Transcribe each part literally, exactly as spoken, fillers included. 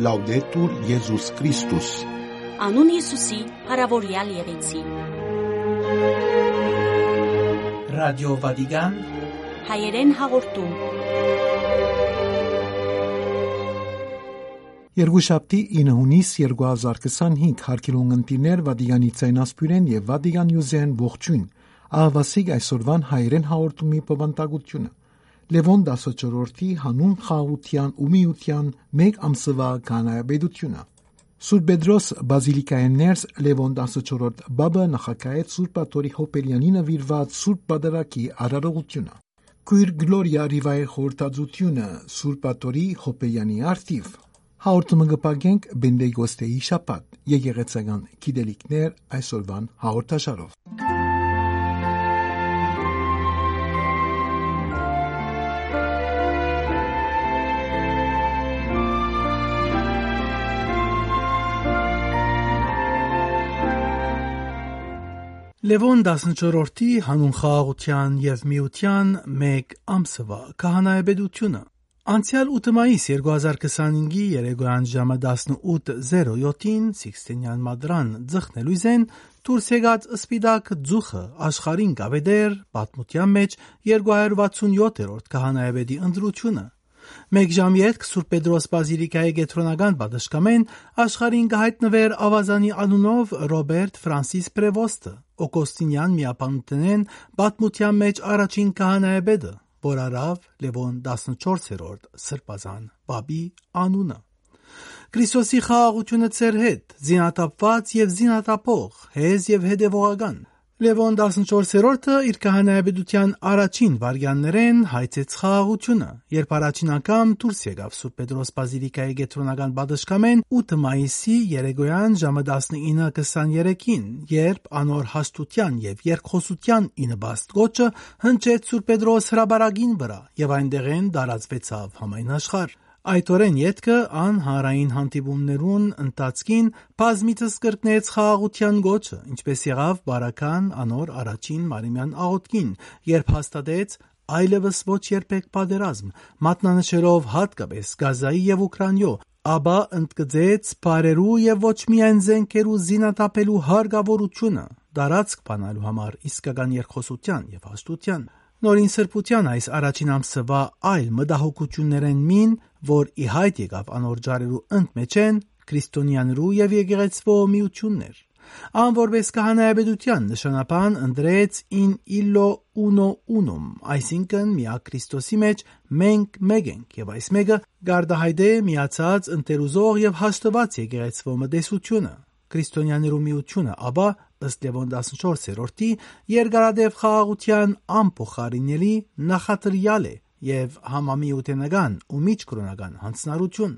Լաուդետուր Եզուս Քրիստոս։ Անուն Յիսուսի փառաւորեալ եղեցի։ Ռադիո Վատիկան, հայերեն հաղորդում։ Երկուշաբթի, ինը հունիս երկու հազար քսանհինգ, հարգելի ունգընտիրներ, Վատիկանի ձայնասփիւռէն եւ Վատիկան News-էն ողջոյն։ Ահա սիկ այսօրուան հայերեն հաղորդումի բովանդակութիւնը։ Լեւոն տասնչորրորդի յանուն խաղաղութեան ու միութեան մէկ ամսուայ քահանայապետութիւնը։ Սուրբ Պետրոս բազիլիկայէն ներս Լեւոն տասնչորրորդ Պապը նախագահեց Սուրբ Աթոռի Յոբելեանին նուիրուած Սուրբ Պատարագի արարողութիւնը։ Քոյր Գլորիա Ռիվայ խորհրդածութիւնը Սուրբ Աթոռի Յոբելեանի առթիւ։ Հաղորդումը կը փակենք Պենտեկոստեի շաբաթ, եկեղեցական գիտելիքներ այսօրուան հաղորդաշարով։ Լեւոն տասնչորրորդի յանուն խաղաղութեան եւ միութեան մէկ ամսուայ քահանայապետութիւնը։ Անցեալ ութը մայիս երկու հազար քսանհինգի երեկոյան ժամը տասնութ զերոյոթին Սիքսթինեան մատրան ձգնելոյզէն դուրս եկած սպիտակ ծուխը աշխարհին կ'աւետէր պատմութեան մէջ երկու հարիւր վաթսուն յոթերորդ քահանայապետի ընտրութիւնը։ Մէկ ժամ ետք Սուրբ Պետրոս բազիլիկայի կեդրոնական պատշգամէն աշխարհին կը յայտնուէր աւազանի անունով Ռոբերտ Ֆրանսիս Պրեվոստը, Օկոստինեան միաբանութենէն պատմութեան մէջ առաջին քահանայապետը, որ առաւ Լեւոն տասնչորսերորդ Սրբազան Պապի անունը։ Քրիստոսի խաղաղութիւնը ձեր հետ, զինաթափուած եւ զինաթափող, հեզ եւ հետեւողական։ Լեւոն տասնչորսերորդը իր քահանայապետութեան առաջին վայրկեաններէն հայցեց խաղաղութիւնը, երբ առաջին անգամ դուրս եկաւ Սուրբ Պետրոս բազիլիկայի կեդրոնական պատշգամէն ութը մայիսի երեկոյան ժամը տասնինը քսաներեքին, երբ անոր հաստութեան եւ երկխօսութեան ի նպաստ կոչը հնչեց Սուրբ Պետրոս հրապարակին վրայ եւ այնտեղէն տարածուեցաւ համայն աշխարհ։ Այդ օրէն ետքը ան հանրային հանդիպումներուն ընթացքին բազմիցս կրկնեց խաղաղութեան կոչը, ինչպէս եղաւ Բարաքան անոր առաջին մարմնեան աղօթքին, երբ հաստատեց այլեւս ոչ երբեք պատերազմ, մատնանշելով յատկապէս Գազայի եւ Ուքրանիոյ, ապա ընդգծեց բառերու եւ ոչ միայն զէնքերու զինաթափելու հարկաւորութիւնը, տարածք բանալու համար իսկական երկխօսութեան եւ հաստութեան։ Նորին սրբութեան այս առաջին ամսուայ այլ մտահոգութիւններէն մին, որ ի յայտ եկաւ անոր ջարերու ընդմէջէն, քրիստոնեաներու եւ եկեղեցւոյ միութիւնն էր։ Ան որպէս քահանայապետութեան նշանաբան ընտրեց in illo uno unum, այսինքն միակ Քրիստոսի մէջ մենք մէկ ենք, եւ այս մէկը կ'արտայայտէ միացած ընտերուզող եւ հաշտուած եկեղեցւոյ մտեսութիւնը։ Քրիստոնեաներու միութիւնը, ապա, ըստ Լեւոն տասնչորսերորդի, երկարատեւ խաղաղութեան անփոխարինելի նախադրեալ է եւ համամիութենական ու միջկրօնական յանձնառութիւն։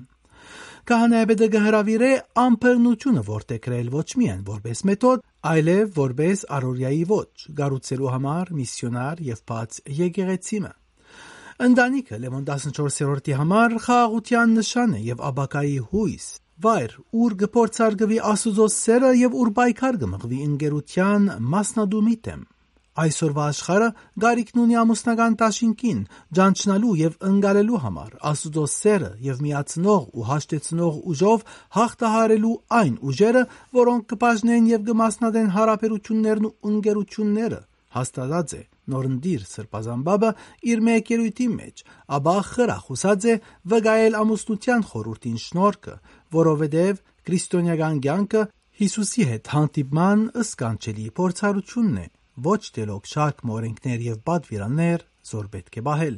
Քահանայապետը կը հրաւիրէ անբռնութիւնը որդեգրել ոչ միայն որպէս մեթոդ, այլեւ որպէս առօրեայի ոճ, կառուցելու համար միսիոնար եւ բաց եկեղեցի մը։ Ընտանիքը Լեւոն տասնչորսերորդի համար խաղաղութեան նշան է եւ ապագայի յոյս, վայր, ուր կը փորձարկուի Աստուծոյ սէրը եւ ուր պայքար կը մղուի ընկերութեան մասնատումի դէմ։ Այսօրվա աշխարհը կարիքն ունի ամուսնական դաշինքին, ճանչնալու եւ ընկալելու համար Աստուծոյ սէրը եւ միացնող ու հաշտեցնող ուժով հաղթահարելու այն ուժերը, որոնք կը բաժնեն եւ կը մասնատեն հարաբերութիւններն ու ընկերութիւնները, հաստատած է նորընտիր Սրբազան Պապը իր մէկ ելոյթին մէջ, ապա խրախուսած է վկայել ամուսնութեան խորհուրդին շնորհքը, որովհետեւ քրիստոնեական կեանքը Յիսուսի հետ հանդիպման սքանչելի փորձառութիւնն է, ոչ թէ լոկ շարք մը օրէնքներ եւ պատուիրաններ, զոր պէտք է պահել։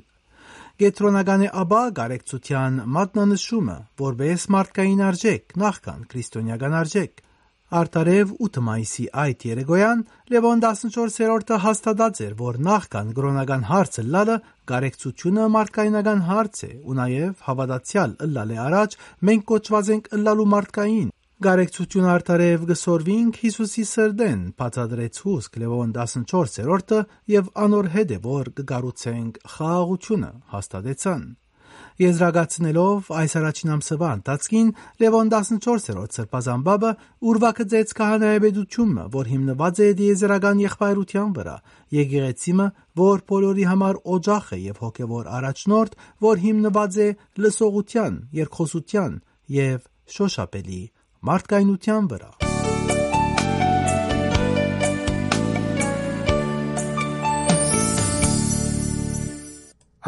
Կեդրոնական է ապա կարեկցութեան մատնանշումը, որպէս մարդկային արժէք, նախքան քրիստոնեական արժէք։ Արդարեւ ութը մայիսի այդ երեկոյան Լեւոն տասնչորսերորդը հաստատած էր, որ նախքան կրօնական հարց ըլլալը կարեկցութիւնը մարդկայնական հարց է ու նաեւ հաւատացեալ ըլլալէ առաջ մենք կոչուած ենք ըլլալու մարդկային։ Կարեկցութիւնը արդարեւ կը սորվինք Յիսուսի սրտէն, բացատրեց հուսք Լեւոն տասնչորսերորդը, եւ անոր հետ է, որ կը կառուցենք խաղաղութիւնը, հաստատեցան։ Եզրակացնելով այս առաջին ամսուայ ընթացքին, Լեւոն տասնչորսերորդ Սրբազան Պապը ուրվագծեց քահանայապետութիւնը, որ հիմնուած է տիեզերական եղբայրութեան վրայ, եկեղեցի մը, որ բոլորի համար օջախ է եւ հոգեւոր առաջնորդ, որ հիմնուած է լսողութեան, երկխօսութեան եւ շոշափելի մարդկայնութեան վրայ։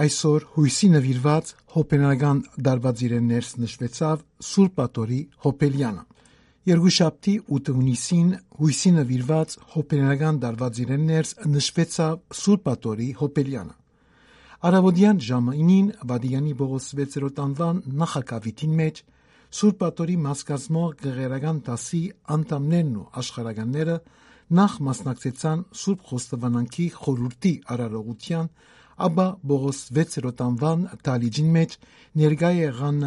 Այսօր յոյսի նուիրուած հոբելյանական դարուածիրէն ներս նշուեցաւ Սուրբ Աթորի հոբելյանը։ Երկուշաբթի ութը յունիսին յոյսի նուիրուած հոբելյանական դարուածիրէն ներս նշուեցաւ Սուրբ Աթորի հոբելյանը։ Առաւօտեան ժամը ինին Վատիկանի Պողոս վեցերորդ անուան նախագաւիթին մէջ Սուրբ Աթորի մասկազմող կղերական դասի անդամներն ու աշխարհականները նախ մասնակցեցան Սուրբ Խոստովանանքի խորհուրդի արարողութեան, ապա Պողոս վեցերորդ անուան դահլիճին մէջ ներկայ եղան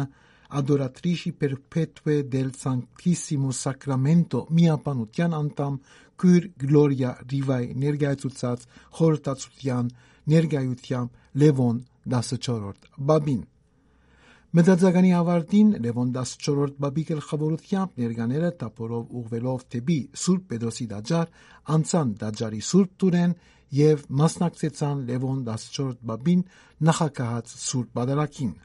Adoratrici Perpetue del Sanctissimo Sacramento միաբանութեան անդամ քոյր Գլորիա Ռիվայ ներկայացուցած խորհրդածության ներկայությամբ Լեւոն տասնչորրորդ Պապին։ Մտածականի ավարտին Լեւոն տասնչորրորդ Պապի գլխաւորութեամբ ներկաները թափորով ուղղուելով դէպի Սուրբ Պետրոսի տաճար, անցան տաճարի Սուրբ Տուրէն եւ մասնակցեցան Լեւոն տասնչորրորդ Պապին նախագահած Սուրբ Պատարագին։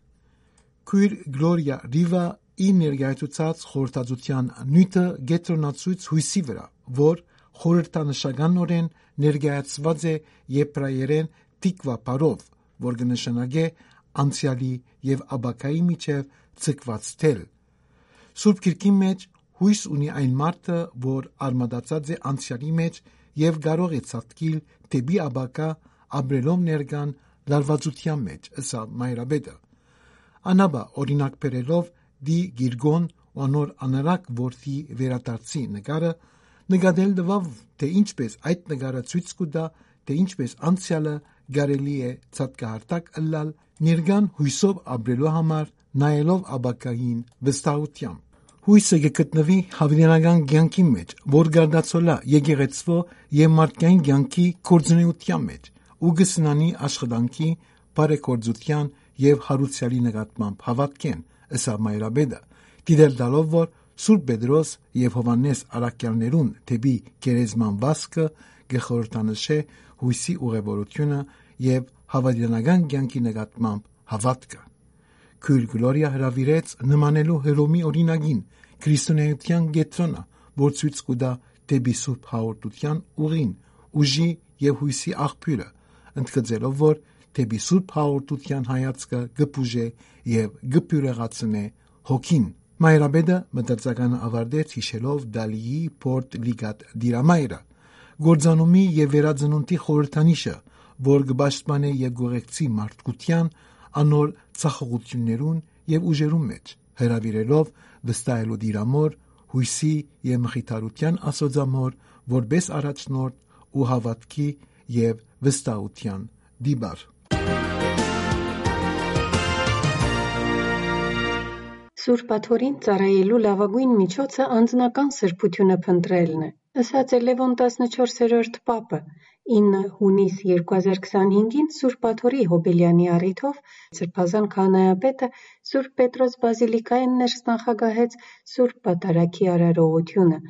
Քոյր Գլորիա Ռիվա իր ներկայացուցած խորհրդածության նիւթը կեդրոնացուց յոյսի վրայ, որ խորհրդանշականօրէն ներկայացուած է եբրայերէն տիկվա բառով, որ կը նշանակէ անցեալի եւ ապագայի միջեւ ձգուած թել։ Սուրբ Գիրքին մէջ յոյս ունի այն մարդը, որ արմատացած է անցեալի մէջ եւ կարող է ցատկիլ դէպի ապագայ, ապրելով ներկան լարուածութեան մէջ, ըսաւ Մայրապետը։ Անապա, օրինակ բերելով Դի Գիրգոն ու անոր անարակ որդի վերադարձի նկարը, նկատել տուաւ, թէ ինչպէս այդ նկարը ցոյց կու տայ, թէ ինչպէս անցեալը կարելի է ցատկահարթակ ըլլալ, ներկան յոյսով ապրելու համար, նայելով ապագային վստահությամբ։ Յոյսը կը գտնուի հաւիտենական կեանքին մէջ, որ կ'արտացոլայ եկեղեցւոյ եւ մարդկային կեանքի գործունեութեան մէջ ու կը սնանի աշխատանքի, բարեգործութեան եւ յարուցեալի նկատմամբ հաւատքէն, ըսաւ Մայրապետը, դիտել տալով, որ Սուրբ Պետրոս եւ Յովհաննէս առաքեալներուն դէպի գերեզման վազքը կը խորհրդանշէ յոյսի ուղևորութիւնը եւ հաւիտենական կեանքի նկատմամբ հաւատքը։ Քոյր Գլորիա հրաւիրեց նմանելու Հռոմի օրինակին քրիստոնէայութեան կեդրոնը, որ ցոյց կու տայ դէպի Սուրբ Հաղորդութեան ուղին, ուժի եւ յոյսի աղբիւրը, ընդգծելով, որ դէպի Սուրբ Հաղորդութեան հայացքը կը բուժէ եւ կը բիւրեղացնէ հոգին։ Մայրապետը մտածականը աւարտեց յիշելով Դալիի Պորտ Լիգատ Տիրամայրը, գործանումի եւ վերածնունդի խորհրդանիշը, որ կը պաշտպանէ եւ կ'ուղեկցի մարդկութեան անոր ձախողութիւններուն եւ ուժերուն մէջ, հրաւիրելով վստահելու Տիրամօր, յոյսի եւ մխիթարութեան Աստուածամօր, որպէս առաջնորդ ու հաւատքի եւ վստահութեան տիպար։ Սուրբ Աթորին ծառայելու լաւագոյն միջոցը անձնական սրբութիւնը փնտռելն է, ըսած է Լեւոն տասնչորսերորդ Պապը, ինը յունիս երկու հազար քսանհինգին Սուրբ Աթորի Հոբելեանի առիթով Սրբազան քահանայապետը Սուրբ Պետրոս Բազիլիկայէն ներս նախագահեց Սուրբ Պատարագի արարողութիւնը։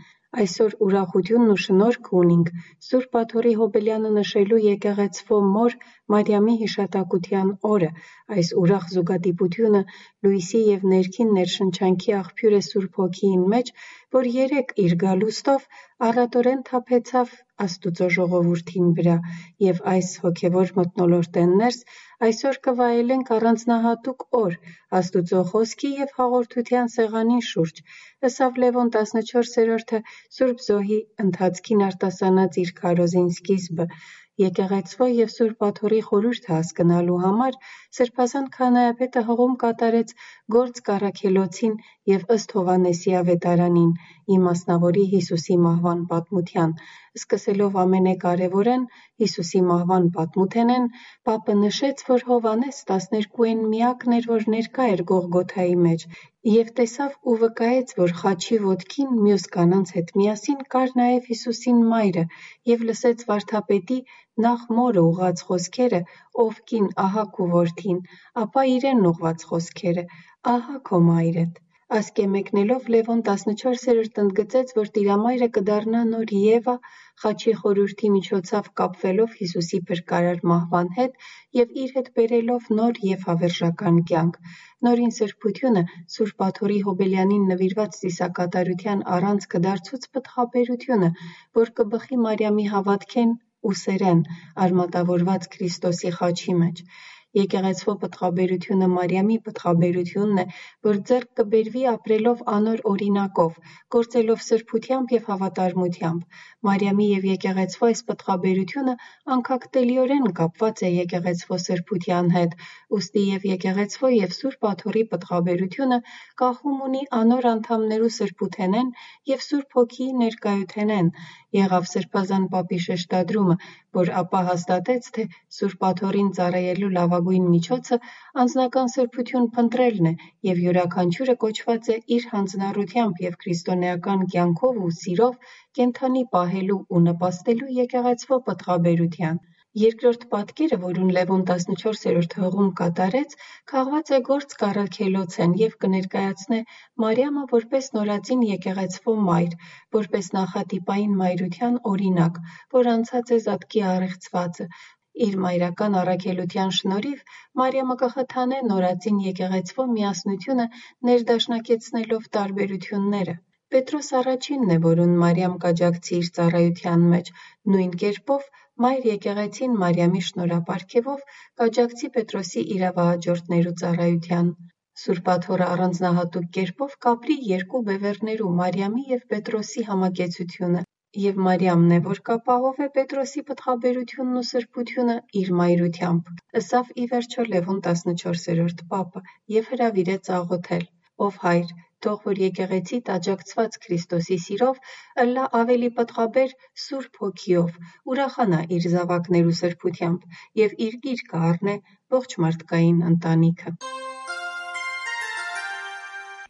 Այսօր ուրախութիւնն ու շնորհքը ունինք Սուրբ Աթորի Հոբելեանը նշելու եկեղեցւոյ մօր Մարիամի յիշատակութեան օրը։ Այս ուրախ զուգադիպութիւնը լոյսի եւ ներքին ներշնչանքի աղբիւր է Սուրբ Հոգիին մէջ, որ երեկ իր գալուստով առատօրէն թափեցաւ Աստուծոյ ժողովուրդին վրայ, եւ այս հոգեւոր մթնոլորտէն ներս այսօր կը վայելենք առանձնահատուկ օր Աստուծոյ խօսքի եւ հաղորդութեան սեղանին շուրջ, ըսաւ Լեւոն տասնչորսերորդը Սուրբ Զոհի ընթացքին արտասանած իր քարոզին սկիզբը։ Եկեղեցւոյ եւ Սուրբ Աթորի խորհուրդը հասկնալու համար Սրբազան քահանայապետը հղում կատարեց գործ կառաքելոցին եւ ըստ Յովհաննէսի աւետարանին, իմասնաւորի Յիսուսի մահուան պատմութեան, սկսելով ամենակարեւորէն՝ Յիսուսի մահուան պատմութենէն, Պապը նշեց, որ Յովհաննէս տասներկուին միակն էր, որ ներկայ էր Գողգոթայի մէջ, եւ տեսաւ ու վկայեց, որ խաչի ոտքին միւս կանանց հետ միասին կար նաեւ Յիսուսին մայրը, եւ լսեց վարդապետի նախ մօրը ուղղած խօսքերը. «Ով կին, ահա քու որդին», ապա իրեն ուղղված խօսքերը. «Ահա քո մայրդ»։ Ասկէ մեկնելով Լեւոն տասնչորսերորդ ընդգծեց, որ Տիրամայրը կը դառնայ նոր Եվա՝ խաչի խորհուրդի միջոցով կապուելով Յիսուսի փրկարար մահուան հետ եւ իր հետ բերելով նոր եւ հաւերժական կեանք։ Նորին սրբութիւնը Սուրբ Աթոռի Յոբելեանին նուիրուած ծիսակատարութեան առանցքը դարձուց պտղաբերութիւնը, որ կը բխի Մարիամի հաւատքէն ու սէրէն՝ արմատաւորուած Քրիստոսի խաչի մէջ։ Եկեղեցւոյ պտղաբերութիւնը Մարիամի պտղաբերութիւնն է, որ ձեռք կը բերուի ապրելով անոր օրինակով, գործելով սրբութեամբ եւ հաւատարմութեամբ։ Մարիամի եւ եկեղեցւոյ այս պտղաբերութիւնը անկախտելիօրէն կապուած է եկեղեցւոյ սրբութեան հետ, ուստի եւ եկեղեցւոյ եւ Սուրբ Աթոռի պտղաբերութիւնը կախում ունի անոր անդամներու սրբութենէն եւ Սուրբ Հոգիի ներկայութենէն, եղաւ Սրբազան Պապի շեշտադրումը, որ ապա հաստատեց, թէ Սուրբ Աթոռին ծառայելու լաւագոյն միջոցը անձնական սրբութիւն փնտռելն է եւ յուրաքանչիւրը կոչուած է իր յանձնառութեամբ եւ քրիստոնէական կեանքով ու սիրով կենդանի պահելու ու նպաստելու եկեղեցւոյ պտղաբերութեան։ Երկրորդ պատկերը, որուն Լեւոն տասնչորսերորդ հղում կատարեց, կախուած է գործ կառաքելոցէն եւ կը ներկայացնէ Մարիամը որպէս նորածին եկեղեցւոյ մայր, որպէս նախատիպային մայրութեան օրինակ, որ անցած է զատկի առեղծուածը։ Իր մայրական առաքելութեան շնորհիվ Մարիամը կը խթանէ նորածին եկեղեցւոյ միասնութիւնը ներդաշնակեցնելով տարբերութիւնները։ Պետրոս առաջինն է, որուն Մարիամ կ'աջակցի իր ծառայութեան մէջ։ Նոյն կերպով, մայր եկեղեցին Մարիամի շնորհապարգեւով կ'աջակցի Պետրոսի իրավահաջորդներու ծառայութեան։ Սուրբ Աթոռը առանձնահատուկ կերպով կապրի երկու բեւեռներու՝ Մարիամի եւ Պետրոսի համակեցութիւնը, եւ Մարիամն է, որ կ'ապահովէ Պետրոսի պտղաբերութիւնն ու սրբութիւնը իր մայրութեամբ, ըսաւ ի վերջոյ Լեւոն տասնչորսերորդ Պապը եւ հրաւիրեց աղօթել. «Ով Հայր, թող որ եկեղեցիդ աջակցուած Քրիստոսի սիրով՝ ըլլայ աւելի պտղաբեր Սուրբ Հոգիով, ուրախանայ իր զաւակներու սրբութեամբ եւ իր գիրկը առնէ ողջ մարդկային ընտանիքը»։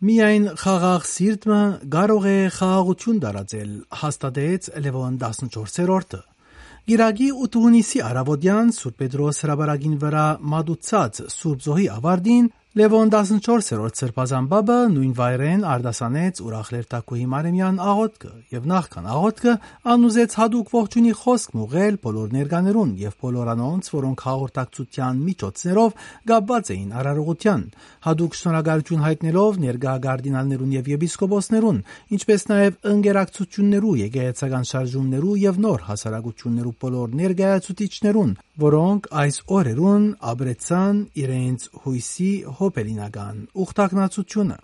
«Միայն խաղաղ սիրտ մը կարող է խաղաղութիւն տարածել», հաստատեց Լեւոն տասնչորսերորդը։ Կիրակի ութ հունիսի առաւօտեան Սուրբ Պետրոս հրապարակին վրայ մատուցած Սուրբ Զոհի աւարտին Լեւոն տասնչորսերորդ Սրբազան Պապը նոյն վայրէն արտասանեց ուրախ Լերթագոյի Մարեմեան աղօթքը եւ նախքան աղօթքը անուզեց յատուկ ողջոյնի խօսք մը ուղղել բոլոր ներկաներուն եւ բոլոր անոնց, որոնք հաղորդակցութեան միջոցներով կապուած էին արարողութեան, յատուկ շնորհակալութիւն յայտնելով ներկայ կարդինալներուն եւ եպիսկոպոսներուն, ինչպէս նաեւ ընկերակցութիւններու, եկեղեցական շարժումներու եւ նոր հասարակութիւններու բոլոր ներկայացուցիչներուն, որոնք այս օրերուն ապրեցան իրենց յոյսի յոբելինական ուխտագնացութիւնը։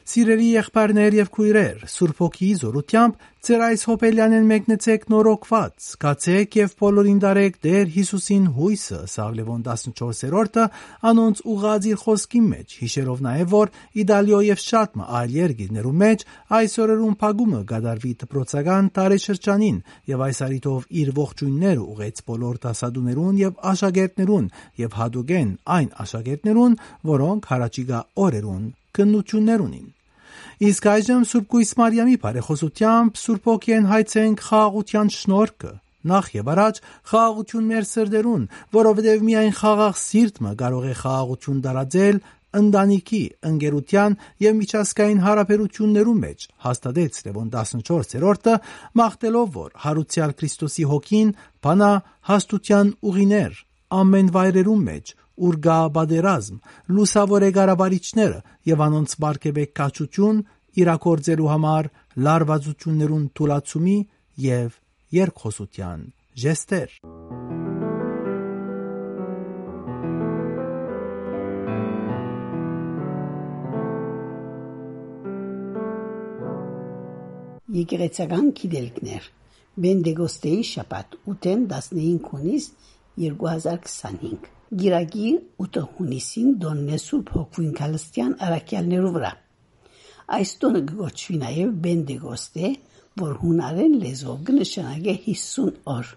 Սիրելի եղբայրներ եւ քոյրեր, Սուրբ Հոգիի զօրութեամբ ձեր այս յոբելեանէն մեկնեցէք նորոգուած, գացէք եւ բոլորին տարէք Տէր Յիսուսին յոյսը, ըսաւ Լեւոն տասնչորսերորդը անոնց ուղղած իր խօսքին մէջ, յիշելով նաեւ, որ Իտալիոյ եւ շատ մը այլ երկիրներու մէջ այս օրերուն փակումը կատարուի դպրոցական տարեշրջանին, եւ այս առիթով իր ողջոյնները ուղղեց բոլոր դասատուներուն եւ աշակերտներուն եւ յատուկէն այն աշակերտներուն, որոնք յառաջիկայ օրերուն քննութիւններ ունին։ Իսկ այժմ Սուրբ Կոյս Մարիամի բարեխօսութեամբ Սուրբ Հոգիէն հայցենք խաղաղութեան շնորհքը, նախ եւ առաջ խաղաղութիւն մեր սրտերուն, որովհետեւ միայն խաղաղ սիրտ մը կարող է խաղաղութիւն տարածել ընտանիքի, ընկերութեան եւ միջազգային յարաբերութիւններու մէջ, հաստատեց Լեւոն տասնչորսերորդը, մաղթելով, որ յարուցեալ Քրիստոսի Հոգին բանայ հաստութեան ուղիներ ամէն վայրերուն մէջ, ուր կայ պատերազմ, լուսաւորէ կառավարիչները եւ անոնց պարգեւէ քաջութիւն իրագործելու համար լարուածութիւններուն թուլացումի եւ երկխօսութեան ժեստեր։ Եկեղեցական գիտելիքներ։ Պենտեկոստեի շաբաթ, ութ հունիս, երկու հազար քսանհինգ։ Կիրակի ութ հունիսին տօնն է Սուրբ Հոգուին Քալստեան առաքեալներու վրայ։ Այս տօնը կը կոչուի նաեւ Պենտեկոստե, որ յունարէն լեզուով կը նշանակէ յիսուն օր,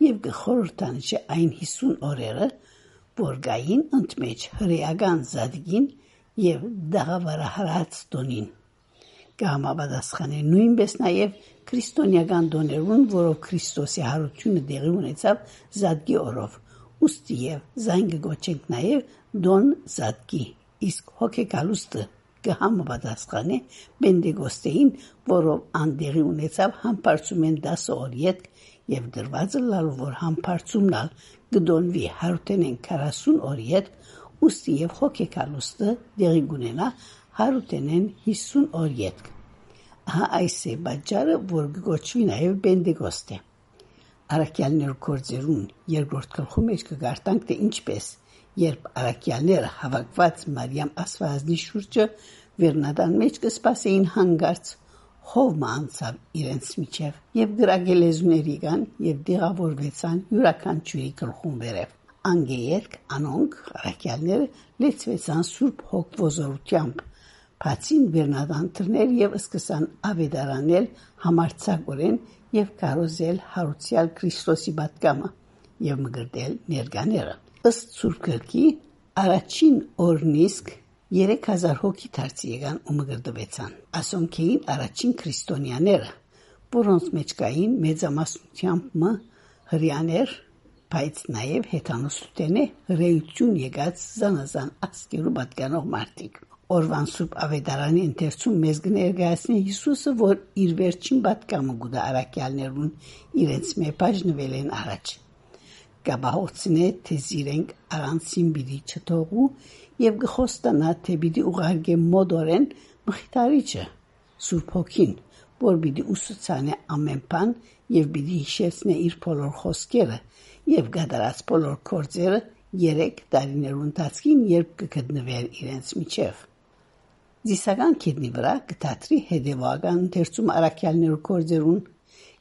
եւ կը խորհրդանշէ այն յիսուն օրերը, որ կային ընդմէջ հրեական Զատկին եւ տաղաւարահարած տօնին։ Կը համապատասխանէ նոյնպէս նաեւ քրիստոնեական տօներուն, որով Քրիստոսի յարութիւնը տեղի ունեցաւ Զատկի օրով, ուստի եւ զայն կը կոչենք նաեւ տօն Զատկի, իսկ հոգեկալուստը կը համապատասխանէ Պենտեկոստէին, որով ան տեղի ունեցաւ Համբարձումէն տասը օր ետք եւ դրուած ըլլալու, որ Համբարձումն ալ կը տօնուի Յարութենէն քառասուն օր ետք, ուստի եւ հոգեկալուստը տեղի կունենայ Յարութենէն յիսուն օր ետք։ Ահա այս է պատճառը, որ կը կոչուի նաեւ Պենտեկոստէ։ Առաքեալներու գործերուն երկրորդ գլխու մէջ կը կարդանք, թէ ինչպէս, երբ առաքեալները հաւաքուած Մարիամ Աստուածնի շուրջը վերնատան մէջ կը սպասէին, հանկարծ հով մը անցաւ իրենց միջեւ եւ կրակէ լեզուներ եկան եւ տեղաւորուեցան իւրաքանչիւրի գլխուն վերեւ։ Անկէ ետք անոնք, առաքեալները, լեցուեցան Սուրբ Հոգ վոզորութեամբ, բացին վերնատան դռներ եւ սկսան աւետարանել համարձակօրէն եւ քարոզել յարուցեալ Քրիստոսի պատգամը եւ մկրտել ներկաները։ Ըստ Սուրբ Գրքի, առաջին օրն իսկ երեք հազար հոգի դարձի եկան ու մկրտուեցան։ Ասոնք էին առաջին քրիստոնեաները, որոնց մէջ կային մեծամասնութեամբ մը հրեաներ, բայց նաեւ հեթանոսութենէ հրեայութիւն եկած զանազան ազգերու պատկանող մարդիկ։ Օրուան Սուրբ Աւետարանի ընթերցում մեզ կը ներկայացնէ Յիսուսը, որ իր վերջին պատգամը կու տայ առաքեալներուն, իրենց մէ բաժնուելէն առաջ։ Կ'ապահովցնէ, թէ զիրենք առանցին պիտի չթողու եւ կը խոստանայ, թէ պիտի ուղարկէ մօտորէն Մխիթարիչը, Սուրբ Հոգին, որ պիտի ուսուցանէ ամէն բան եւ պիտի յիշեցնէ իր բոլոր խօսքերը եւ կատարած բոլոր գործերը երեք տարիներու ընթացքին, երբ կը գտնուէր իրենց միջեւ։ Զիսական գետնի վրայ կը դադրի հետեւողական ընթերցումը առաքեալներու գործերուն,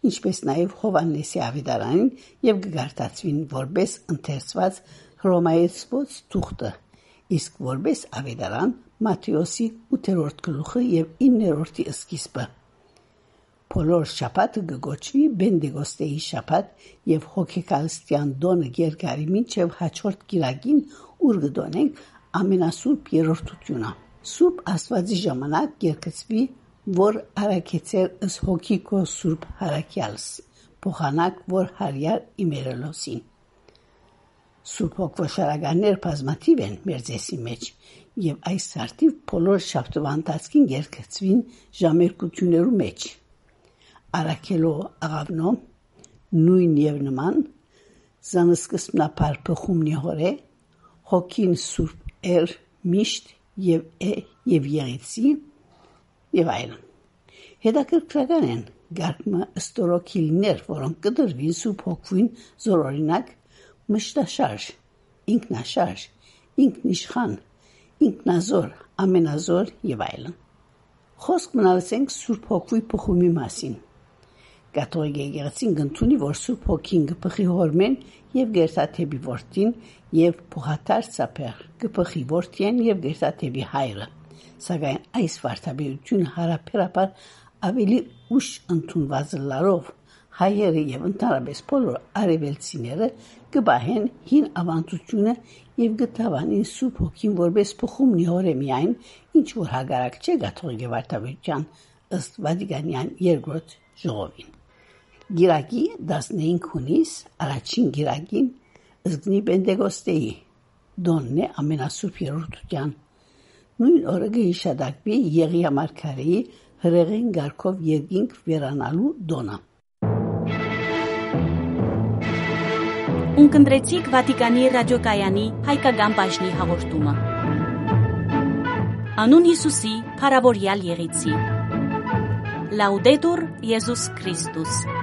ինչպէս նաեւ Յովհաննէսի աւետարանին, եւ կը կարդացուին որպէս ընթերցուած հռոմայեցուած թուղթը, իսկ որպէս աւետարան Մատթէոսի ութերորդ գլուխը եւ իններորդի սկիզբը։ Բոլոր շաբաթը կը կոչուի Պենտեկոստէի շաբաթ եւ հոգեկալստեան տօնը կ'երկարի մինչեւ հաջորդ կիրակին, ուր կը տօնենք Ամենասուրբ Երրորդութիւնը։ Սուրբ Աստուածի ժամանակ կ'երգցուի, որ առաքեցեր ըս հոգի քո Սուրբ Յարաքեալս, փոխանակ որ Հարիար իմերելոսին։ Սուրբ Հոգ վոշարականներ բազմաթիւ են մեր ծեսի մէջ, եւ այս սարտիւ բոլոր շաբթուան ընթացքին կ'երգցուին ժամերգութիւններու մէջ։ Առաքելոյ աղաւնոյ նոյն եւ նման, զանսկզբնաբար բխումնի հորէ, հոգին Սուրբ էր միշտ եւ է եւ եղեցի, եւ այլն։ Հետաքրքրական են կարգ մը ստորոգիլներ, որոնք կը տրուին Սուրբ Հոգուին, զոր օրինակ՝ մշտաշարժ, ինքնաշարժ, ինքնիշխան, ինքնազոր, ամենազոր եւ այլն։ Խոսք մնալսենք Սուրբ Հոգուի բխումի մասին։ Կաթողիկ եկեղեցին կ'ընդունի, որ Սուրբ Հոգին կը բխի Հօրմէն եւ կ'երթայ դէպի Որդին, եւ փոխադարձաբար կը բխի Որդիէն եւ կ'երթայ դէպի Հայրը, սակայն այս վարդապետութիւնը յարաբերաբար աւելի ուշ ընդունուած ըլլալով, հայերը եւ ընդհանրապէս բոլոր արեւելցիները կը պահեն հին աւանդութիւնը եւ կը դաւանին Սուրբ Հոգին որպէս բխումնի հորէ միայն, ինչ որ հակառակ չէ կաթողիկէ վարդապետութեան, ըստ Վատիկանեան երկրորդ ժողովին։ Կիրակի, տասնհինգ յունիս, առաջին կիրակին, զգնի Պենտեկոստէի տօնն է Ամենասուրբ Երրորդութեան։ Նոյն օրը կը յիշատակուի Եղիա մարգարէի հրեղեն կարգով երկինք վերանալու տօնը։ Ունկնդրեցիք Վատիկանի ռադիոկայանի հայկական բաժնի հաղորդումը։ Անուն Յիսուսի, փառաւորեալ եղեցի։ Լաուդետուր Եզուս Քրիստոս։